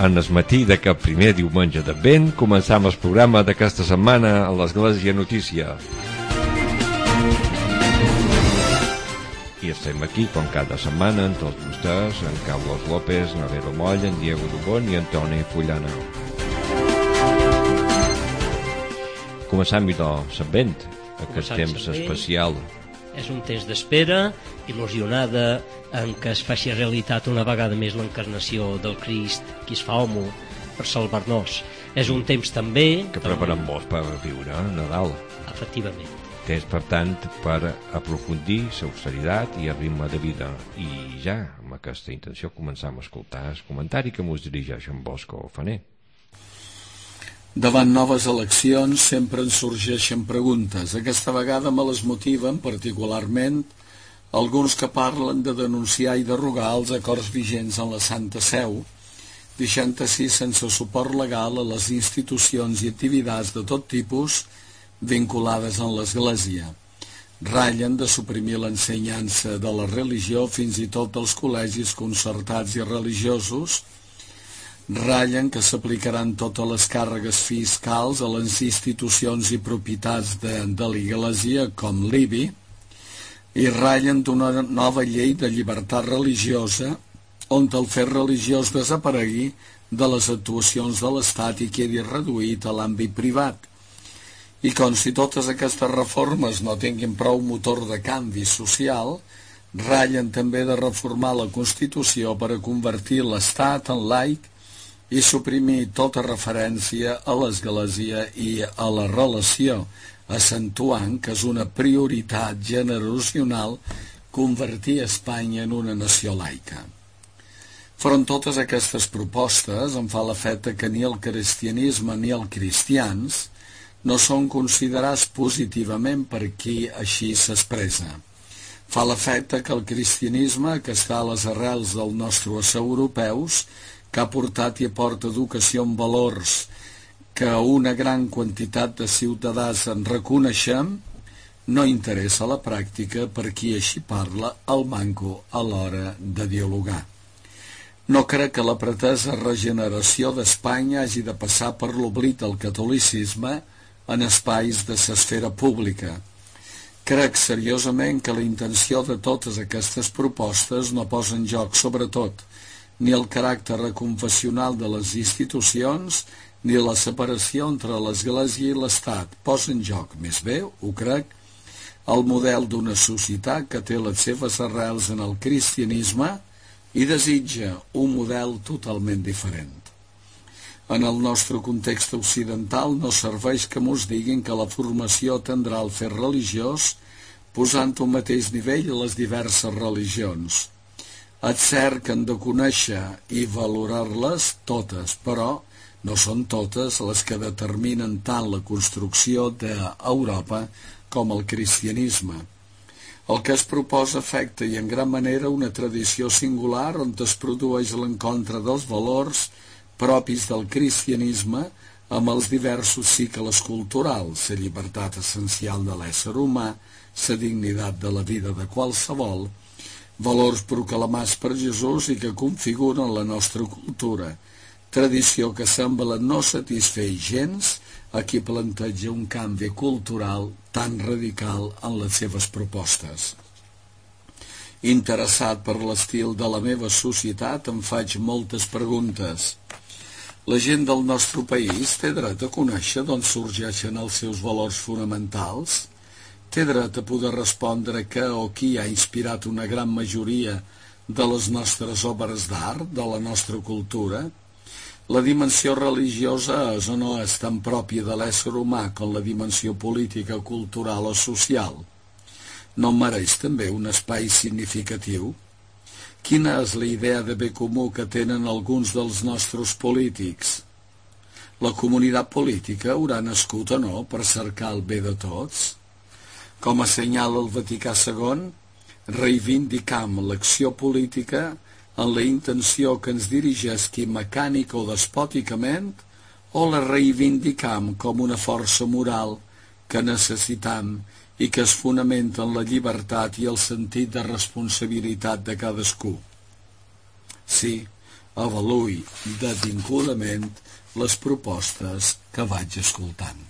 en el matí d'aquest primer diumenge d'Advent començam el programa d'aquesta setmana a l'Església Notícia. I estem aquí, com cada setmana, amb tots vostès, en Carlos López, Navero Moll, en Diego Dubón i en Toni Fullana. Començam l'Advent, aquest temps especial. És un temps d'espera, il·lusionada en què es faci realitat una vegada més l'encarnació del Crist, qui es fa home per salvar-nos. És un temps també que preparem molts per viure Nadal. Efectivament. Temps, per tant, per aprofundir l'austeritat i el ritme de vida. I ja, amb aquesta intenció, començam a escoltar el comentari que mos dirigeix en Bosco Faner. Davant noves eleccions sempre ens sorgeixen preguntes. Aquesta vegada me les motiven particularment alguns que parlen de denunciar i derogar els acords vigents en la Santa Seu, deixant així sense suport legal a les institucions i activitats de tot tipus vinculades en l'Església. Ratllen de suprimir l'ensenyança de la religió fins i tot als col·legis concertats i religiosos, ratllen que s'aplicaran totes les càrregues fiscals a les institucions i propietats de l'Església com l'IBI, i ratllen d'una nova llei de llibertat religiosa on el fet religiós desaparegui de les actuacions de l'Estat i quedi reduït a l'àmbit privat. I com si totes aquestes reformes no tinguin prou motor de canvi social, ratllen també de reformar la Constitució per a convertir l'Estat en laic i suprimir tota referència a l'Església i a la relació, accentuant que és una prioritat generacional convertir Espanya en una nació laica. Front totes aquestes propostes em fa l'efecte que ni el cristianisme ni els cristians no són considerats positivament per qui així s'expressa. Fa l'efecte que el cristianisme, que està a les arrels dels nostres europeus, que ha portat i aporta educació en valors que una gran quantitat de ciutadans en reconeixem, no interessa a la pràctica per qui així parla el manco a l'hora de dialogar. No crec que la pretesa regeneració d'Espanya hagi de passar per l'oblit del catolicisme en espais de l'esfera pública. Crec seriosament que la intenció de totes aquestes propostes no posa en joc, sobretot, ni el caràcter reconfessional de les institucions, ni la separació entre l'Església i l'Estat. Posa en joc, més bé, ho crec, el model d'una societat que té les seves arrels en el cristianisme i desitja un model totalment diferent. En el nostre context occidental no serveix que mos diguin que la formació tendrà el fet religiós posant un mateix nivell a les diverses religions. És cert que hem de conèixer i valorar-les totes, però no són totes les que determinen tant la construcció d'Europa com el cristianisme. El que es proposa afecta i en gran manera una tradició singular on es produeix l'encontre dels valors propis del cristianisme amb els diversos cicles culturals, la llibertat essencial de l'ésser humà, la dignitat de la vida de qualsevol, valors proclamats per Jesús i que configuren la nostra cultura, tradició que sembla no satisfer gens a qui planteja un canvi cultural tan radical en les seves propostes. Interessat per l'estil de la meva societat, em faig moltes preguntes. La gent del nostre país té dret a conèixer d'on sorgeixen els seus valors fonamentals? Té dret a poder respondre què o qui ha inspirat una gran majoria de les nostres obres d'art, de la nostra cultura? La dimensió religiosa és o no és tan pròpia de l'ésser humà com la dimensió política, cultural o social? No mereix també un espai significatiu? Quina és la idea de bé comú que tenen alguns dels nostres polítics? La comunitat política haurà nascut o no per cercar el bé de tots? Com assenyala el Vaticà II, reivindicam l'acció política en la intenció que ens dirigeixi mecànica o despòticament, o la reivindicam com una força moral que necessitam i que es fonamenta en la llibertat i el sentit de responsabilitat de cadascú. Sí, avaluï detingudament les propostes que vaig escoltant.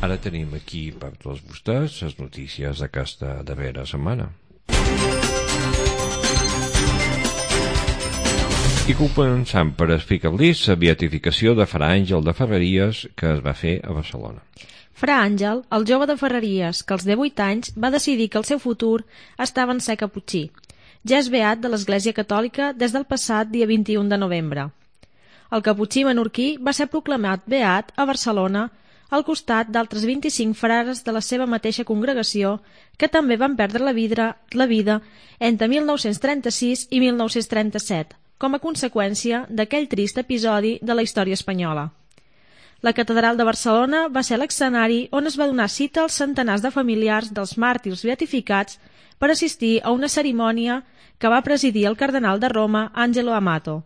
Ara tenim aquí per tots vostès les notícies d'aquesta darrera setmana. I començant per explicar-los la beatificació de Fra Àngel de Ferreries que es va fer a Barcelona. Fra Àngel, el jove de Ferreries, que als 18 anys va decidir que el seu futur estava en ser caputxí. Ja és beat de l'Església Catòlica des del passat dia 21 de novembre. El caputxí menorquí va ser proclamat beat a Barcelona al costat d'altres 25 frares de la seva mateixa congregació que també van perdre la vida entre 1936 i 1937, com a conseqüència d'aquell trist episodi de la història espanyola. La catedral de Barcelona va ser l'escenari on es va donar cita als centenars de familiars dels màrtirs beatificats per assistir a una cerimònia que va presidir el cardenal de Roma, Angelo Amato,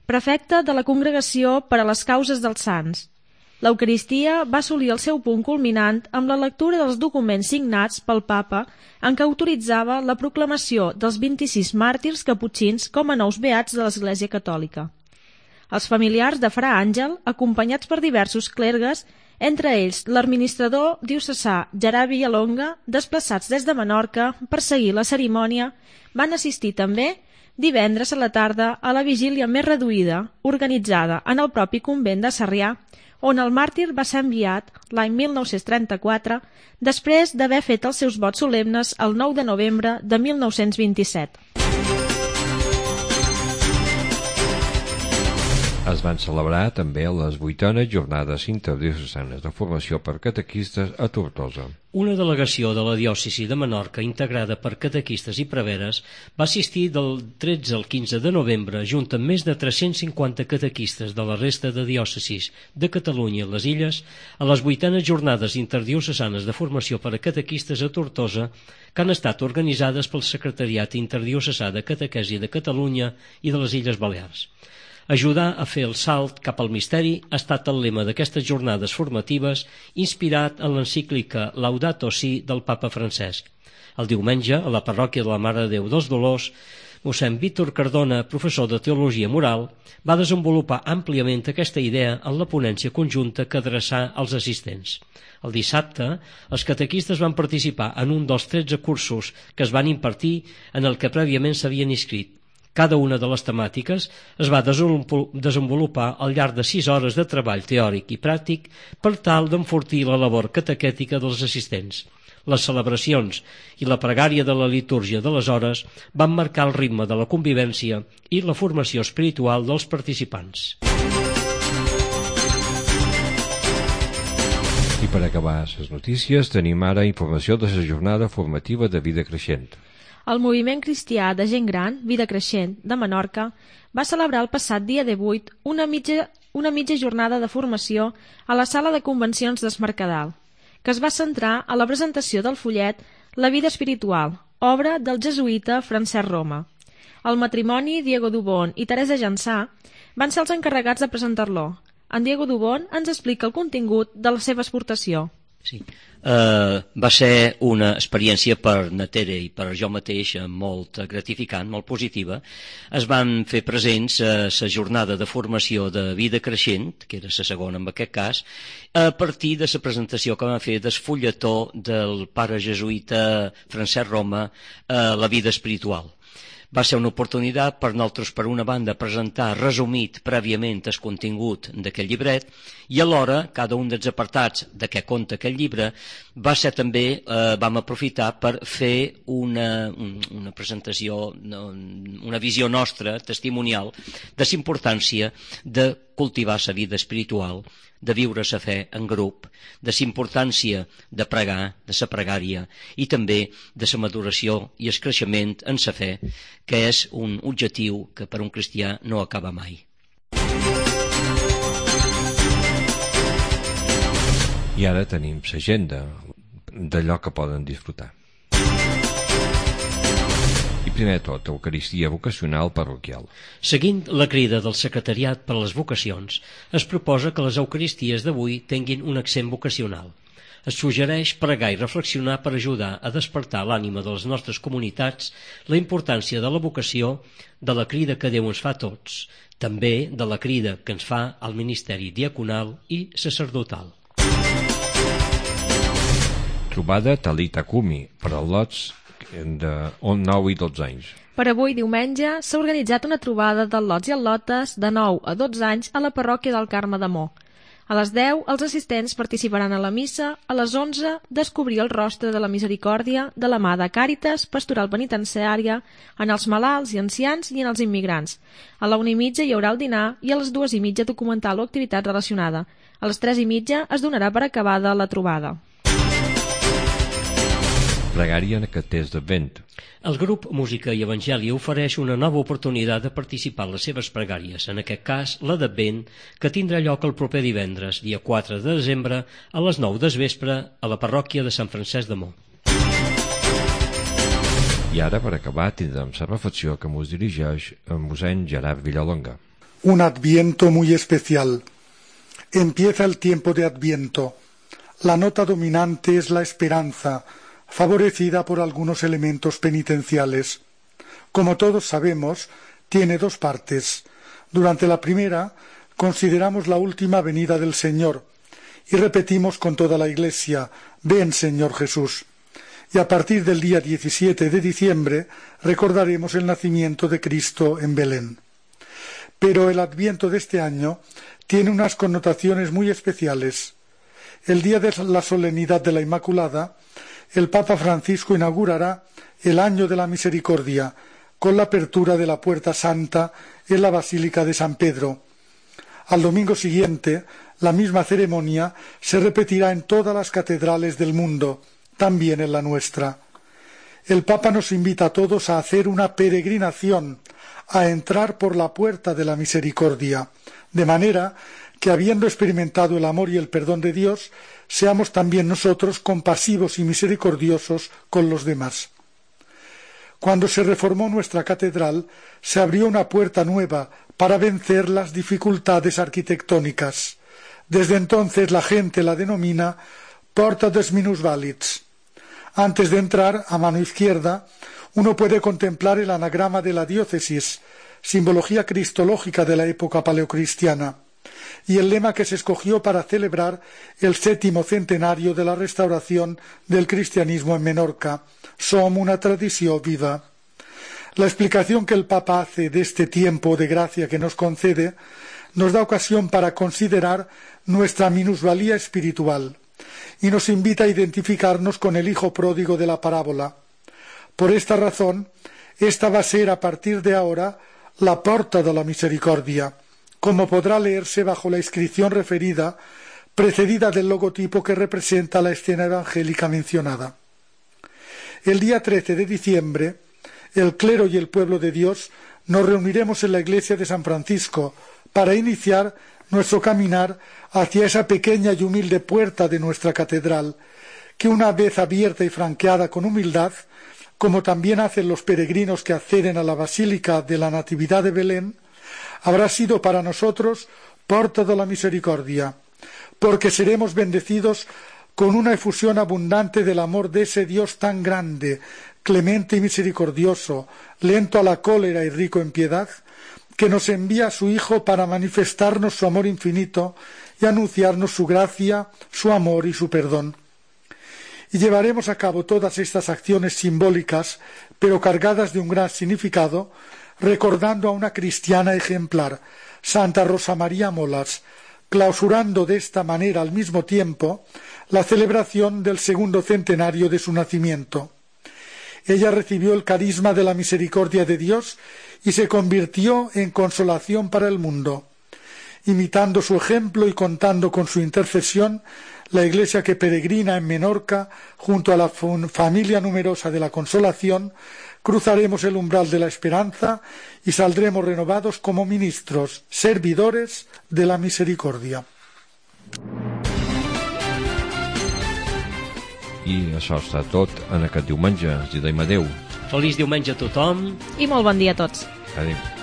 prefecte de la Congregació per a les Causes dels Sants. L'Eucaristia va assolir el seu punt culminant amb la lectura dels documents signats pel Papa en què autoritzava la proclamació dels 26 màrtirs caputxins com a nous beats de l'Església Catòlica. Els familiars de Fra Àngel, acompanyats per diversos clergues, entre ells l'administrador diocesà Gerard Villalonga, desplaçats des de Menorca per seguir la cerimònia, van assistir també divendres a la tarda a la vigília més reduïda, organitzada en el propi convent de Sarrià, on el màrtir va ser enviat l'any 1934, després d'haver fet els seus vots solemnes el 9 de novembre de 1927. Es van celebrar també les 8enes jornades interdiocesanes de formació per catequistes a Tortosa. Una delegació de la diòcesi de Menorca, integrada per catequistes i preveres, va assistir del 13 al 15 de novembre, junt amb més de 350 catequistes de la resta de diòcesis de Catalunya i les Illes, a les 8enes jornades interdiocesanes de formació per a catequistes a Tortosa, que han estat organitzades pel Secretariat Interdiocesà de Catequesi de Catalunya i de les Illes Balears. Ajudar a fer el salt cap al misteri ha estat el lema d'aquestes jornades formatives, inspirat en l'encíclica Laudato Si del Papa Francesc. El diumenge, a la parròquia de la Mare de Déu dels Dolors, mossèn Víctor Cardona, professor de Teologia Moral, va desenvolupar àmpliament aquesta idea en la ponència conjunta que adreçà als assistents. El dissabte, els catequistes van participar en un dels 13 cursos que es van impartir en el que prèviament s'havien inscrit. Cada una de les temàtiques es va desenvolupar al llarg de 6 hores de treball teòric i pràctic per tal d'enfortir la labor catequètica dels assistents. Les celebracions i la pregària de la litúrgia de les hores van marcar el ritme de la convivència i la formació espiritual dels participants. I per acabar les notícies tenim ara informació de la jornada formativa de vida creixent. El moviment cristià de gent gran, Vida Creixent, de Menorca, va celebrar el passat dia 18 una mitja jornada de formació a la sala de convencions d'Es Mercadal, que es va centrar a la presentació del follet La vida espiritual, obra del jesuïta Francesc Roma. El matrimoni Diego Dubón i Teresa Jansà van ser els encarregats de presentar-lo. En Diego Dubón ens explica el contingut de la seva exportació. Sí. Va ser una experiència per na Tere i per jo mateix molt gratificant, molt positiva. Es van fer presents a la jornada de formació de vida creixent, que era la segona en aquest cas, a partir de la presentació que van fer del fulletó del pare jesuïta Francesc Roma, La vida espiritual. Va ser una oportunitat per nosaltres, per una banda, presentar resumit prèviament el contingut d'aquest llibret i alhora cada un dels apartats de què conta aquest llibre va ser també, vam aprofitar per fer una presentació, una visió nostra, testimonial, de la importància de cultivar la vida espiritual, de viure la fe en grup, de la importància de pregar, de la pregària i també de la maduració i el creixement en la fe, que és un objectiu que per un cristià no acaba mai. I ara tenim l'agenda d'allò que poden disfrutar. I primer de tot, Eucaristia vocacional parroquial. Seguint la crida del Secretariat per a les Vocacions, es proposa que les Eucaristies d'avui tinguin un accent vocacional. Es suggereix pregar i reflexionar per ajudar a despertar l'ànima de les nostres comunitats, la importància de la vocació, de la crida que Déu ens fa a tots, també de la crida que ens fa al ministeri diaconal i sacerdotal. Trobada Talita Kumi per als lots de 9 i 12 anys. Per avui, diumenge, s'ha organitzat una trobada dels lots i al·lotes de 9 a 12 anys a la parròquia del Carme d'Amor. A les 10, els assistents participaran a la missa, a les 11, descobrir el rostre de la misericòrdia de la mà de Càritas Pastoral Penitenciària en els malalts i ancians i en els immigrants. A la 1:30 hi haurà el dinar i a les 2:30 documental o activitat relacionada. A les 3:30 es donarà per acabada la trobada. Pregària en aquest temps d'Advent. El grup Música i Evangeli ofereix una nova oportunitat de participar en les seves pregàries, en aquest cas la d'Advent, que tindrà lloc el proper divendres, dia 4 de desembre, a les 9 del vespre, a la parròquia de Sant Francesc de Mó. I ara, per acabar, tindrem la reflexió que ens dirigeix el mossèn Gerard Villalonga. Un Adviento muy especial. Empieza el tiempo de Adviento. La nota dominante es la esperanza, favorecida por algunos elementos penitenciales. Como todos sabemos, tiene dos partes. Durante la primera, consideramos la última venida del Señor y repetimos con toda la Iglesia: «Ven, Señor Jesús». Y a partir del día 17 de diciembre recordaremos el nacimiento de Cristo en Belén. Pero el Adviento de este año tiene unas connotaciones muy especiales. El día de la solemnidad de la Inmaculada, el Papa Francisco inaugurará el Año de la Misericordia con la apertura de la Puerta Santa en la Basílica de San Pedro. Al domingo siguiente, la misma ceremonia se repetirá en todas las catedrales del mundo, también en la nuestra. El Papa nos invita a todos a hacer una peregrinación, a entrar por la puerta de la misericordia, de manera que, habiendo experimentado el amor y el perdón de Dios, seamos también nosotros compasivos y misericordiosos con los demás. Cuando se reformó nuestra catedral, se abrió una puerta nueva para vencer las dificultades arquitectónicas. Desde entonces la gente la denomina Porta dels Minusvàlids. Antes de entrar, a mano izquierda, uno puede contemplar el anagrama de la diócesis, simbología cristológica de la época paleocristiana, y el lema que se escogió para celebrar el 7º centenario de la restauración del cristianismo en Menorca: Som una tradició viva. La explicación que el Papa hace de este tiempo de gracia que nos concede nos da ocasión para considerar nuestra minusvalía espiritual y nos invita a identificarnos con el hijo pródigo de la parábola. Por esta razón, esta va a ser a partir de ahora la porta de la misericordia, como podrá leerse bajo la inscripción referida, precedida del logotipo que representa la escena evangélica mencionada. El día 13 de diciembre, el clero y el pueblo de Dios nos reuniremos en la iglesia de San Francisco para iniciar nuestro caminar hacia esa pequeña y humilde puerta de nuestra catedral, que una vez abierta y franqueada con humildad, como también hacen los peregrinos que acceden a la Basílica de la Natividad de Belén, habrá sido para nosotros porta de la misericordia, porque seremos bendecidos con una efusión abundante del amor de ese Dios tan grande, clemente y misericordioso, lento a la cólera y rico en piedad, que nos envía a su Hijo para manifestarnos su amor infinito y anunciarnos su gracia, su amor y su perdón. Y llevaremos a cabo todas estas acciones simbólicas, pero cargadas de un gran significado, recordando a una cristiana ejemplar, Santa Rosa María Molas, clausurando de esta manera al mismo tiempo la celebración del 2º centenario de su nacimiento. Ella recibió el carisma de la misericordia de Dios y se convirtió en consolación para el mundo. Imitando su ejemplo y contando con su intercesión, la Iglesia que peregrina en Menorca, junto a la familia numerosa de la Consolación, cruzaremos el umbral de la esperanza y saldremos renovados como ministros, servidores de la misericordia. I això està tot en aquest diumenge. Els diem adeu. Feliç diumenge a tothom. I molt bon dia a tots. Adéu.